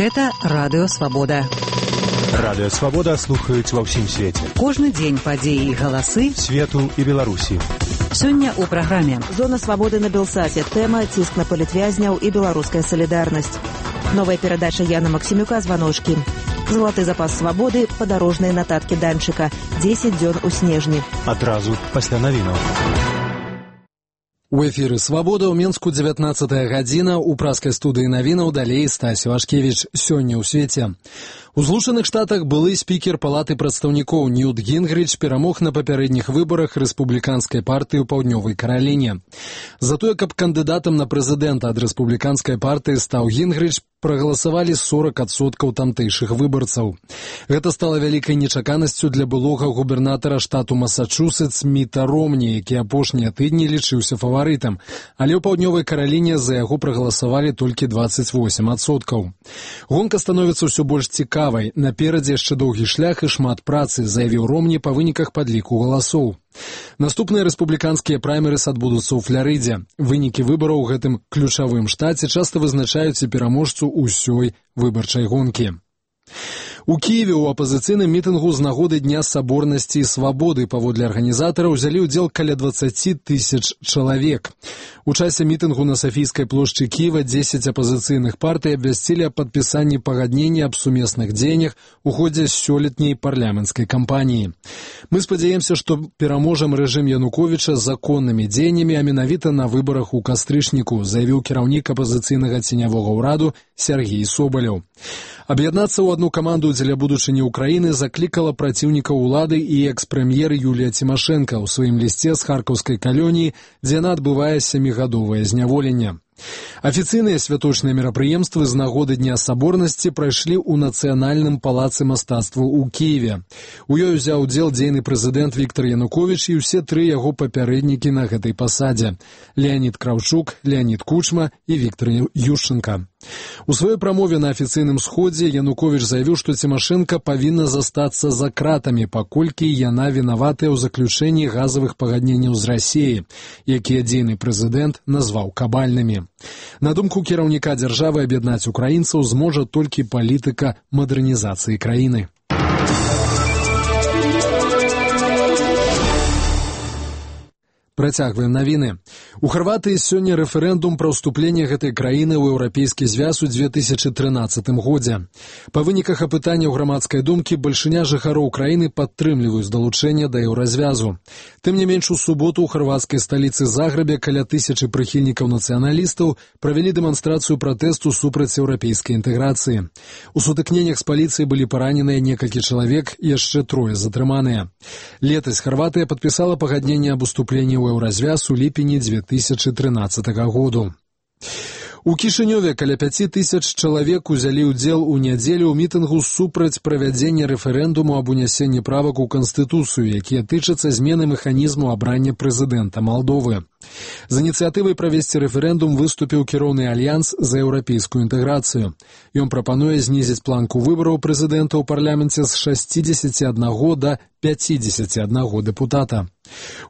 Гэта Радыё Свабода. Радыё Свабода слухаюць ва ўсім свеце. Кожны дзень падзеі і галасы свету і Беларусі. Сёння ў праграме «Зона свабоды» на Белсаце. Тэма «Ціск на палітвязняў і беларуская салідарнасць». Новая перадача Яна Максімюка «Званочкі». Залаты запас свабоды, падарожныя нататкі Данчыка. 10 дзён у снежні. Адразу пасля навінаў. У эфіры «Свабода» ў Менску 19 гадзіна. У праскай студыі навінаў далей Стась Вашкевіч. Сёння ў свеце. У Злучаных Штатах былы спікер Палаты прадстаўнікоў Ньют Гінгрыч перамог на папярэдніх выбарах рэспубліканскай партыі ў Паўднёвай Караліне. За тое, каб кандыдатам на прэзідэнта ад рэспубліканскай партыі стаў Гінгрыч, прагаласавалі 40% тамтэйшых выбарцаў. Гэта стала вялікай нечаканасцю для былога губернатара штату Масачусетс Міта Ромні, які апошнія тыдні лічыўся фаварытам, але ў Паўднёвай Караліне за яго прагаласавалі толькі 28%. Гонка становіцца ўсё больш цікавай. Наперадзе яшчэ доўгі шлях і шмат працы, заявіў Ромні па выніках падліку галасоў. Наступныя рэспубліканскія праймерыс адбудуцца ў Фларыдзе. Вынікі выбараў у гэтым ключавым штаце часта вызначаюць і пераможцу ўсёй выбарчай гонкі. У Кіеве ў апазіцыйным мітынгу з нагоды Дня саборнасці і свабоды паводле арганізатараў узялі ўдзел каля 20 тысяч чалавек. У часе мітынгу на Сафійскай плошчы Кіева 10 апазіцыйных партый абвясцілі аб падпісанні пагаднення аб сумесных дзеяннях у ходзе сёлетняй парламенцкай кампаніі. Мы спадзяемся, што пераможам рэжым Януковіча законнымі дзеяннямі, а менавіта на выбарах у кастрычніку, заявіў кіраўнік апазіцыйнага ценявога ўраду Сергей Собаляў. Аб'яднацца ў адну каманду дзеля будучыні ўкраіны заклікала праціўнікаў улады і экс-прэм'ер Юлія Цімашэнка ў сваім лісце з харкаўскай калоніі, дзе яна адбывае 7-гадовае зняволенне. Афіцыйныя святочныя мерапрыемствы з нагоды Дня саборнасці прайшлі ў Нацыянальным палацы мастацтваў у Кіеве. У ёй узяў удзел дзейны прэзідэнт Віктар Януковіч і ўсе тры яго папярэднікі на гэтай пасадзе – Леанід Краўчук, Леанід Кучма і Віктар Ющенка. У сваёй прамове на афіцыйным сходзе Януковіч заявіў, што Цімашэнка павінна застацца за кратамі, паколькі яна вінаватая ў заключэнні газавых пагадненняў з Расіяй, якія дзейны прэзідэнт назваў кабальнымі. На думку кіраўніка дзяржавы, аб'яднаць украінцаў зможа толькі палітыка мадэрнізацыі краіны. Працягваем навіны. У Харватыі сёння рэферэндум пра ўступленне гэтай краіны ў Еўрапейскі звяз у 2013 годзе. Па выніках апытання ў грамадскай думкі бальшыня жыхароў краіны падтрымліваюць далучэнне да еўразвязу. Тым не менш, у суботу ў харвацкай сталіцы Загребе каля 1000 прыхільнікаў нацыяналістаў правялі дэманстрацыю пратэсту супраць еўрапейскай інтэграцыі. У сутыкненнях з паліцыяй былі параненыя некалькі чалавек, яшчэ 3 затрыманыя. Летась Харватыя падпісала пагадненне аб уступленні ў еўразвяз у ліпені 2013 году. У Кішынёве каля 5000 чалавек узялі ўдзел у нядзелю ў мітынгу супраць правядзення рэферэндуму аб унясенні правак у Канстытуцыю, якія тычацца змены механізму абрання прэзідэнта Малдовы. З ініцыятывай правесці рэферэндум выступіў кіроўны альянс за еўрапейскую інтэграцыю. Ён прапануе знізіць планку выбараў прэзідэнта ў парламенце з 61 да 51 дэпутата.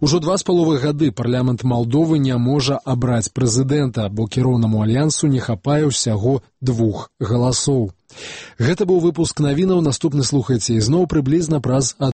Ужо 2,5 гады парламент Малдовы не можа абраць прэзідэнта, бо кіроўнаму альянсу не хапае ўсяго 2 галасоў. Гэта быў выпуск навінаў. Наступны слухайце ізноў прыблізна праз